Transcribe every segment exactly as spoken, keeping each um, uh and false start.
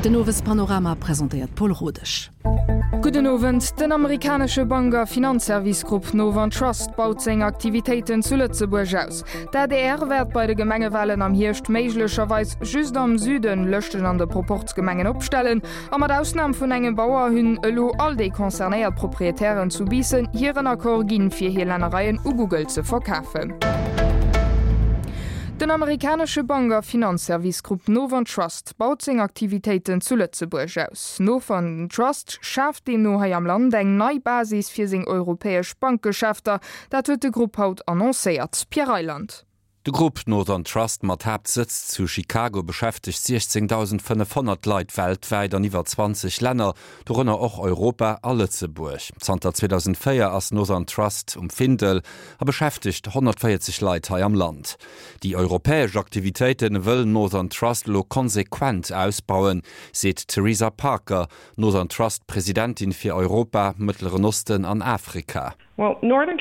Den Owespanorama presentéiert Paul Rodesch. Gudden Owend. Den amerikanesche Bank a Finanzservice-Grupp Northern Trust baut seng Aktivitéiten zu Lëtzebuerg aus. D'ADR wäert bei de Gemengewalen am Hierscht méiglecherweis just am Süden Lëschten an de Proporzgemengen opstellen. A mat Ausnam vun engem Bauer hunn elo all déi concernéiert Proprietären zu Biissen hiren Accord ginn, fir hir Lännereien u Google ze verkafen. Den amerikanesche Bank a Finanzservice-Grupp Northern Trust baut seng Aktivitéiten zu Lëtzebuerg aus. Northern Trust schaaft deemno hei am Land eng nei Basis fir seng europäesch Bankgeschäfter. Dat huet de Grupp haut annoncéiert. Pierre Reyland. De Grupp Northern Trust mat Haaptsëtz zu Chicago beschäftegt siechzéngdausendfënnefhonnert Leit weltwäit an iwwer zwanzeg Länner, dorënner och Europa a Lëtzebuerg. Zanter zweedausendvéier ass Northern Trust um Findel a beschäftegt honnertvéierzeg Leit hei am Land. Déi europäesch Aktivitéite wëll Northern Trust elo konsequent ausbauen, seet d'Theresa Parker, Northern Trust Presidentin fir Europa, Mëttleren Osten an Afrika. Northern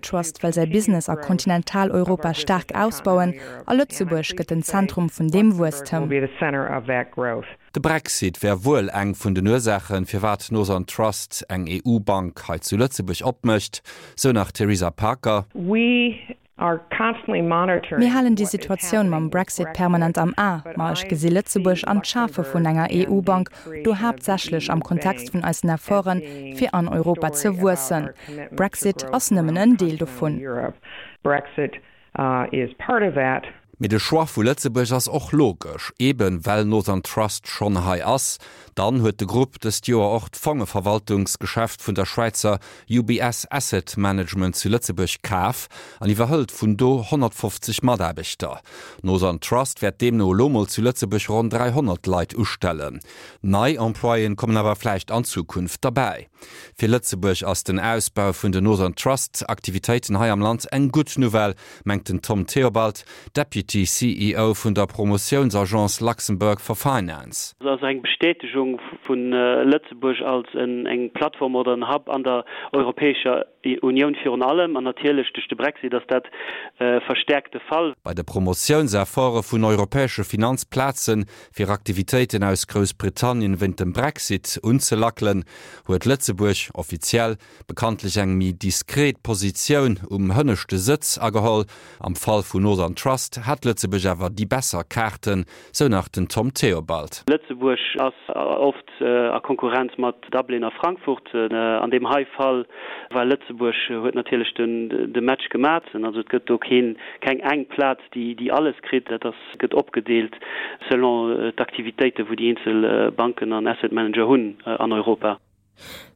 Trust wëll säi Business a Kontinentaleuropa staark ausbauen a Lëtzebuerg gëtt den Zentrum vun deem Wuesstem. De Brexit wär wuel eng vun den Ursaachen, firwat Northern Trust eng E U-Bank hei zu Lëtzebuerg opmécht, sou nach d'Theresa Parker. Mir halen déi Situatioun mam Brexit permanent am A, ma ech gesi Lëtzebuerg an d'Schafe vun enger E U-Bank do haaptsächlech am Kontext vun eisen Efforten, fir an Europa ze wuessen. Brexit ass nëmmen en Deel dovun. Mee de Choix vu Lëtzebuerg ass och logesch, eben well Northern Trust schonn hei ass. Dann huet de Grupp dëst Joer och d'Fongeverwaltungsgeschäft vun der Schwäizer U B S Asset Management zu Lëtzebuerg kaf an iwwerhëlt vun do honnertfofzeg Mataarbechter. Northern Trust wäert deemno elo mol zu Lëtzebuerg ronn dräihonnert Leit ustellen. Nei Employéen kommen awer vläicht an Zukunft derbäi. Fir Lëtzebuerg ass den Ausbau vun den Northern Trust Aktivitéiten hei am Land eng gutt Nouvelle, mengt den Tom Theobald, Deputy C E O vun der Promotiounsagence Luxembourg for Finance. Dat ass eng Bestätegung vu Lëtzebuerg als eng Plattform oder en Hub an der Europäescher Unioun virun allem, an natierlech duerch de Brexit ass dat verstäerkt de Fall. Bei de Promotiounsefforte vun europäesche Finanzplazen, fir Aktivitéiten aus Groussbritannien wéint dem Brexit unzelackelen, huet Lëtzebuerg offiziell bekanntlech eng méi diskret Positioun um hënneschte Sëtz ageholl. Am Fall vun Northern Trust hätt Lëtzebuerg awer déi besser Kaarten, sou nach den Tom Theobald. Lëtzebuerg ass oft a Konkurrenz mat Dublin a Frankfurt. An deem hei Fall war Lëtzebuerg huet natierlech de Match gemat. Also et gëtt do keen, keng eng Plaz, déi déi alles kritt. Dat ass, gëtt opgedeelt selon d'Aktivitéiten, wou déi eenzel Banken an Asset Manager hunn an Europa.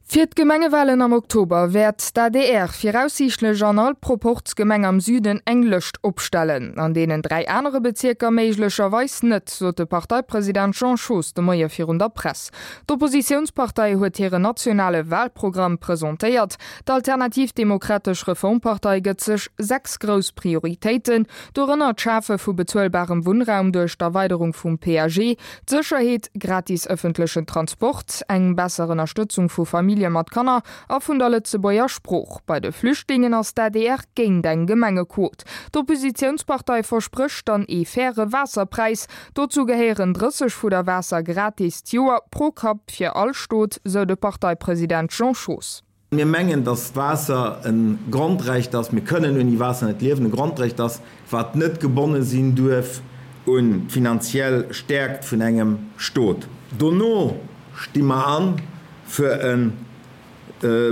Fir d'Gemengewalen am Oktober wäert d'A D R viraussiichtlech an all Proporzgemeng am Süden eng Lëscht opstellen. An deenen dräi anere Bezierker méiglecherweis net, sot de Parteipresident Jean Schoos de Moie virun der Press. D'Oppositiounspartei huet hiren nationale Walprogramm presentéiert. D'Alternativ Demokratesch Reformpartei gëtt sech sechs grouss Prioritéiten, dorënner d'Schafe vu bezuelbarem Wunnraum duerch d'Erweiderung vum P A G, d'Sécherheet, gratis ëffentlechen Transport, eng besser Ënnerstëtzung vu Famillje mat Kanner a vun der Lëtzebuerger Sprooch. Bei de Flüchtlingen ass d'A D R géint eng Gemengequot. D'Oppositiounspartei versprécht dann ee faire Waasserpräis. Dozou gehéieren drësseg Fudder Waasser gratis d'Joer pro Kapp fir all Stot, sou de Parteipresident Jean Schoos. Mir mengen, dass Waasser e Grondrecht ass, mir kënnen ouni Waasser net liewen, e Grondrecht ass, wat net gebonne sinn duerf un d'finanziell Stäerkt vun engem Stot. Dono sti mer an fir e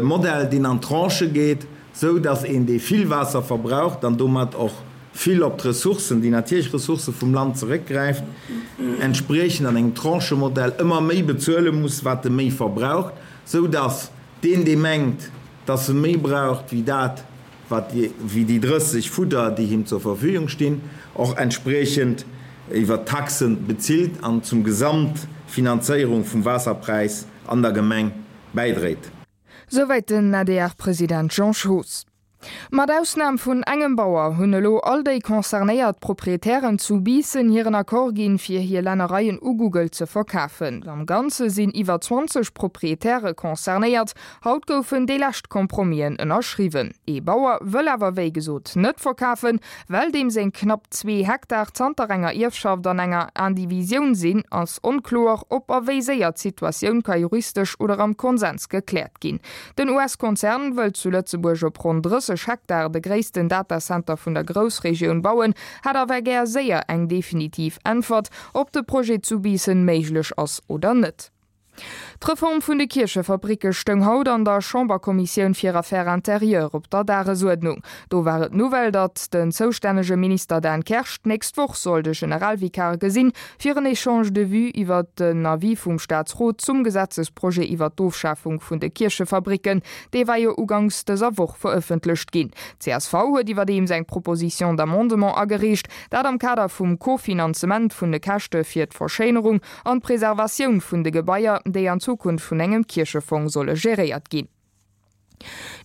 Modell, deen an Tranchë geet, sou dass een, dee vill Waasser verbraucht an domat och vill op d'Ressourcen, déi natierlech Ressourcë vum Land zeréckgräift, entspriechend an engem Tranchemodell ëmmer méi bezuele muss, wat e méi verbraucht, sou dass deen, dee mengt, dass e méi braucht wéi dat, wat wéi déi drësseg Fudder, déi him zur Verfügung stinn, och entspriechend iwwer Taxe bezilt an zum Gesamtfinanzéierung vum Waasserpräis an der Gemeng bäidréit. Souwäit den A D R-President Jean Schoos. Mat Ausnam vun engem Bauer hunn elo all déi concernéiert Proprietären zu Biissen hiren Accord ginn, fir hir Lännereien u Google ze verkafen. Am Ganze sinn iwwer zwanzeg Proprietäre concernéiert. Haut goufen déi lescht Compromisen ënnerschriwwen. Ee Bauer wëll awer wéi gesot net verkafen. Well deem seng knapp zwee Hektar zanter enger Ierfschaft an enger Indivisioun sinn, ass onkloer, ob a wéi séier d'Situatioun ka juristesch oder am Konsens gekläert ginn. Den U S-Konzern wëllt zu Lëtzebuerg op ronn drësseg Hektar de gréissten Datacenter vun der Groussregioun bauen, hätt awer gär séier eng definitiv Äntwert, ob de Projet zu Biissen méiglech ass oder net. D'Reform vun de Kierchefabricke stoung haut an der Chamberkommissioun fir Affaires intérieures op der Dagesuerdnung. Do war et d'Nouvelle, datt den zoustännege Minister Dan Kersch d'nächst Woch soll de Generalvikar gesinn, fir en Echange de vues iwwer den Avis vum Staatsrot zum Gesetzesprojet iwwer d'Ofschafung vun de Kierchefabricken. Dee war jo uganks dëser Woch verëffentlecht ginn. Csv huet iwwerdeems eng Proposition d'amendement agereecht, dat am Kader vum Kofinanzement vun de Käschte fir d'Verschéinerung an d'Preservatioun vun de Gebaier, déi an Zukunft vun engem Kierchefong solle geréiert ginn.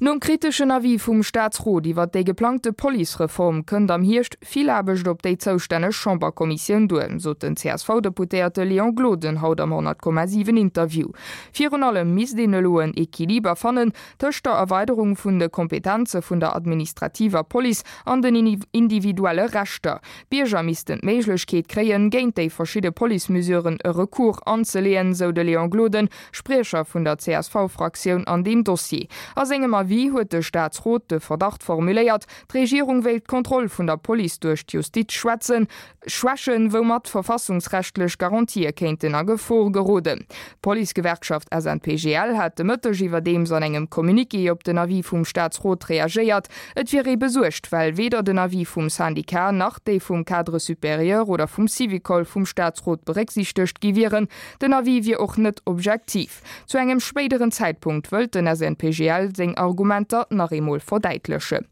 Nom kriteschen Avis vum Staatsrot iwwer déi geplangte Policereform kënnt am Hierscht vill Aarbecht op déi zoustänneg Chamberkommissioun duer, sot den C S V-Deputéierte Léon Gloden haut am honnert Komma siwen Interview. Virun allem misst een elo en Equiliber fannen tëscht der Erweiderung vun de Kompetenze vun der administrativer Police an den individuelle Rechter. D'Bierger missten d'Méiglechkeet kréien, géint déi verschidde Policemesuren e Recours anzeleeën, sou de Léon Gloden, Spriecher vun der C S V-Fraktioun an deem Dossier. A sengem Avis huet de Staatsrot de Verdacht formuléiert, d'Regierung wéilt d'Kontroll vun der Police duerch d'Justiz schwätzen, schwächen, woumat verfassungsrechtlech Garantië kéinten a Gefor geroden. D'Policegewerkschaft S N P G L hat de Mëtteg iwwerdeems an engem Communiqué op den Avis vum Staatsrot reagéiert. Et wier ee besuergt, well weder den Avis vum Syndicat nach déi vum Cadre supérieur oder vum Syvicol vum Staatsrot berécksiichtegt gi wieren. Den Avis wier och net objektiv. Zu engem spéideren Zäitpunkt wëllt den S N P G L seng Argumenter nach eemol verdäitlechen.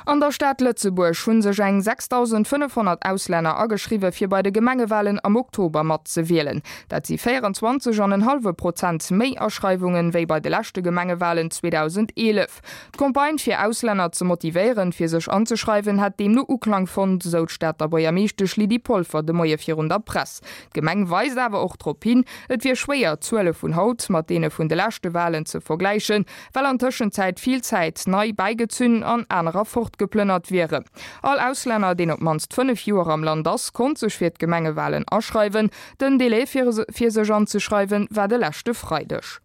An der Stad Lëtzebuerg hu sech eng sechsdausendfënnefhonnert Auslänner ageschriwwe fir bei de Gemengewalen am Oktober mat ze wielen. Dat si véierenzwanzeg an en hallwe Prozent méi Aschreiwungen wéi bei de leschte Gemengewalen zweedausendeelef. D'Campagne fir Auslänner ze motivéieren, fir sech anzeschreiwen, hätt deemno Uklang fonnt, sou d'Stater Buergermeeschtesch Lydie Polfer de Moie virun der Press. D'Gemeng weist awer och drop hin, et wier schwéier, d'Zuele vun haut mat deene vun de leschte Walen ze vergläichen, well an Tëschenzäit vill Zäit nei bäigezunn an anerer fortgeplënnert wieren. All Auslänner, deen op d'mannst fënnef Joer am Land ass, konnt sech fir d'Gemengewalen aschreiwen. Den Delai fir fir sech anzeschreiwen war de leschte Freideg.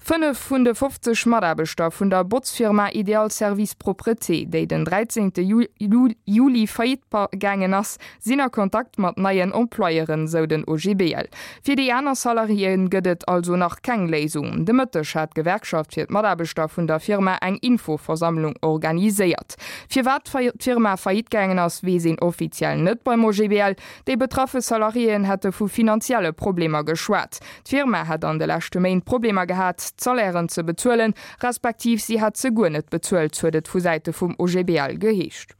Fënnef vun de fofzeg Mataarbechter vun der Botzfirma Ideal Service Propreté, déi den dräizéngte Juli Faillite gaangen ass, sinn a Kontakt mat neien Employeuren, sou den O G B L. Fir déi aner Salariéen gëtt et also nach keng Léisung. De Mëtteg hat d'Gewerkschaft fir d'Mataarbechter vun der Firma eng Infoversammlung organiséiert. Firwat d'Firma Faillite gaangen ass, weess een offiziell net beim O G B L. Déi betraffe Salariéen hätte vu finanzielle Problemer geschwat. D'Firma hätt an de leschte Méint Problemer gehat, d'Salairen ze bezuelen, respektiv si hätt se guer net bezuelt, huet et vu Säite vum O G B L geheescht.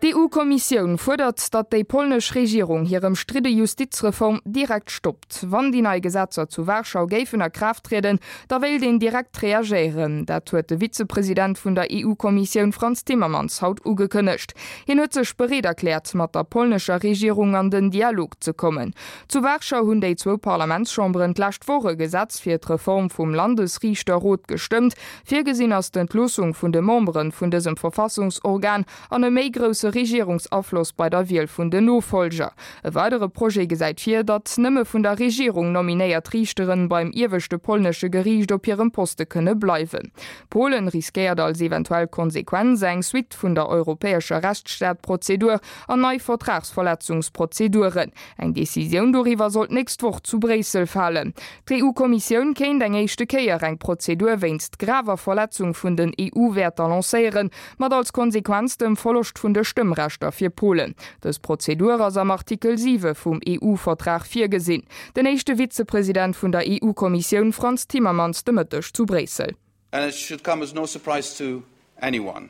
D'E U-Kommissioun fuerdert, datt déi polnesch Regierung hir ëmstridde Justizreform direkt stoppt. Wann déi nei Gesetzer zu Warschau géifen a Kraaft trieden, da wéilt een direkt reagéieren. Dat huet de Vizepresident vun der E U-Kommissioun Frans Timmermans haut ugekënnegt. Hien huet sech bereet erkläert, mat der polnescher Regierung an den Dialog ze kommen. Zu Warschau hunn déi zwou Parlamentschamberen d'lescht Woch e Gesetz fir d'Reform vum Landesriichterrot gestëmmt. Virgesinn ass d'Entloossung vun de Membere vun dësem Verfassungsorgan an e méi grousse Regierungsafloss bei der Wiel vun den Nofollger. E weidere Projet gesäit vir, datt nëmme vun der Regierung nominéiert Riichteren beim ieweschte polnesche Geriicht op hirem Poste kënne bleiwen. Polen riskéiert als eventuell Konsequenz eng Suite vun der europäescher Rechtsstaatprozedur an nei Vertragsverletzungsprozeduren. Eng Decisioun doriwwer soll d'nächst Woch zu Bréissel falen. D'E U-Kommissioun kéint eng éischte Kéier eng Prozedur wéinst graver Verletzung vun den E U-Wäerter lancéieren, mat als Konsequenz dem Verloscht vun de Stëmmrechter fir Polen. Dës Prozedur ass am Artikel siwe vum E U-Vertrag virgesinn. Den éischte Vizepresident vun der E U-Kommissioun Frans Timmermans de Mëtteg zu Bréissel. And it should come as no surprise to anyone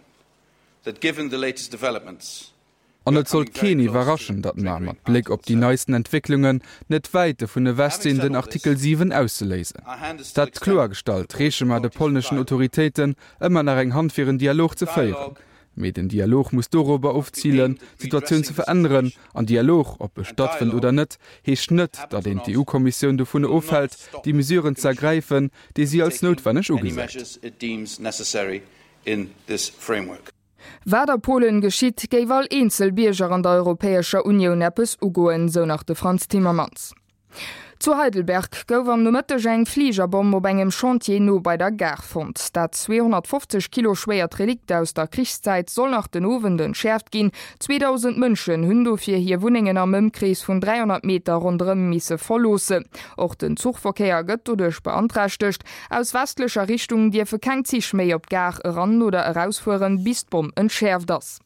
that given the latest developments, An et sollt keen iwwerraschen, datt mer, mat Bléck op déi neisten Entwécklungen, net wäit dovun ewech sinn, den Artikel siwen auszeléisen. Dat kloergestallt, reeche mer de polneschen Autoritéiten ëmmer nach eng Hand fir en Dialog ze féieren. Mee den Dialog muss dorobber ofzilen, d'Situatioun ze veränneren. An Dialog, ob e stattfënnt oder net, heescht net, datt een d'EU-Kommissioun dovun ofhält, déi Mesuren ze ergräifen, déi si als noutwenneg ugesäit. Wat a Polen geschitt, géif all eenzel Bierger an der Europäescher Unioun eppes ugoen, sou nach de Frans Timmermans. Zu Heidelberg gouf am Nomëtteg eng Fligerbomm op engem Chantier no bei der Gare fonnt. Dat zweehonnertfofzeg Kilo schwéiert Relikt aus der Krichszäit soll nach den Owend entschäerft ginn. zweedausend Mënschen hunn dofir hir Wunnengen am Ëmkrees vun dräihonnert Meter ronderëm misse verloossen. Och den Zuchverkéier gëtt doduerch beanträchtegt. Aus westlecher Richtung dierfe keng Zich méi op d'Gare eran oder erausfueren, bis d'Bomm entschäerft ass.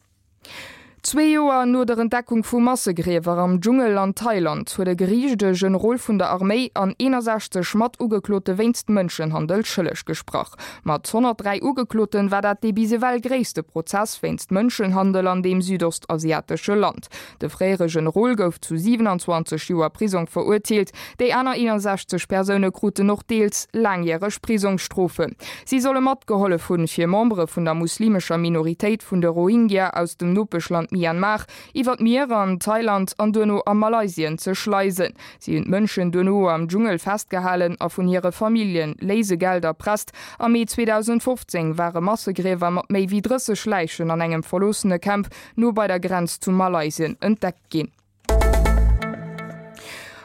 Zwee Joer no der Entdeckung vu Massegriewer am Dschungel an Thailand huet e Geriicht e Generol vun der Arméi an eenundsechzeg Matugeklote wéinst Mënschenhandel schëlleg gesprach. Mat honnertdräi Ugekloten war dat dee bis ewell gréisste Prozess wéinst Mënschenhandel an deem südostasiatesche Land. De fréiere Generol gouf zu siwenanzwanzeg Joer Prisong verurteelt, déi aner eenundsechzeg Persoune kruten och deels laangjäreg Prisongsstrofen. Si solle matgehollef hunn, fir Membere vun der muslimescher Minoritéit vun de Rohingya aus dem Nopeschland Myanmar iwwer d'Mier an Thailand an duerno a Malaysien ze schleisen. Si hunn d'Mënschen duerno am Dschungel festgehalen a vun hire Familljen Léisegeld erpresst. Am Mee zweedausendfofzéng ware Massegriewer mat méi wéi drësseg Läichen an engem verloossene Camp no bei der Grenz zu Malaysien entdeckt ginn.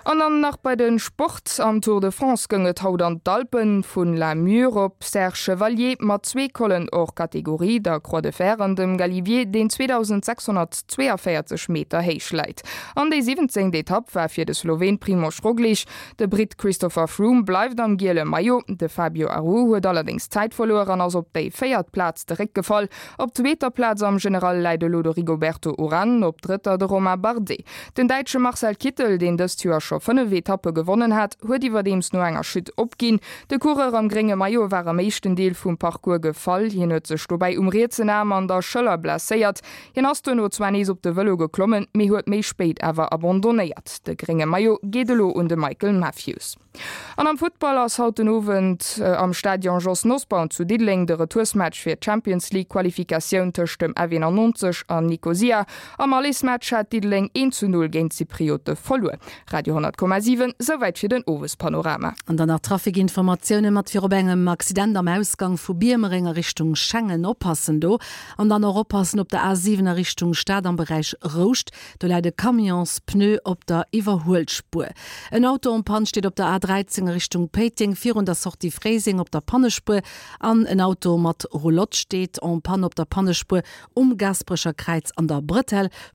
An dann nach bei den Sport, Am Tour de France goung et haut an d'Alpen, vun La Mure op Serre Chevalier mat zwee Collen hors catégorie, der Croix de Fer an dem Galibier, deen zweedausendsechshonnertzweeavéierzeg Meter héich läit. An déi siwwenzéngt Etapp war fir de Sloween Primož Roglič. De Britt Christopher Froome bleift am giele Maillot, de Fabio Aru huet allerdéngs Zäit verluer an ass op déi véiert Plaz zeréckgefall. Op zweeter Plaz am General läit elo de Rigoberto Uran, op drëtter de Romain Bardet. Den Däitsche Marcel Kittel, deen dëst Joer scho fënnef Etappe gewonnen hat, huet iwwerdeems no enger Chute opginn. De Coureur am grénge Maillot war am éischten Deel vum Parcours gefall. Hien huet sech dobäi um rietsen Aarm an der Schëller blesséiert. Hien ass duerno zwar nees op de Vëlo geklommen, mee huet méi spéit awer abandonnéiert. De grénge Maillot geet elo un de Michael Matthews. An am Futtball ass haut den Owend am Stadion Jos Nosbaum zu Diddeleng de Retoursmatch fir d'Champions League Qualifikatioun tëscht dem F eenannonzeg an Nikosia. Am Allesmatch hat Diddeleng een zu null géint d'Zypriote verluer. Radio honnert Komma siwen, souwäit fir den Owespanorama. An dann nach Trafikinformatioune mat virop engem Accident am Ausgang vu Biermereng a Richtung Schengen. Oppassen do. An dann och oppassen op der A siwen a Richtung Stad am Beräich Rouscht. Do läit e Camionspneu op der Iwwerhuelspuer. En Auto en panne steet op der A dräizéng a Richtung Péiteng virun der Sortie Fréiseng op der Pannespuer an en Auto mat Roulotte steet en panne op der Pannespuer um Gaasperecher Kräiz an der Bretelle.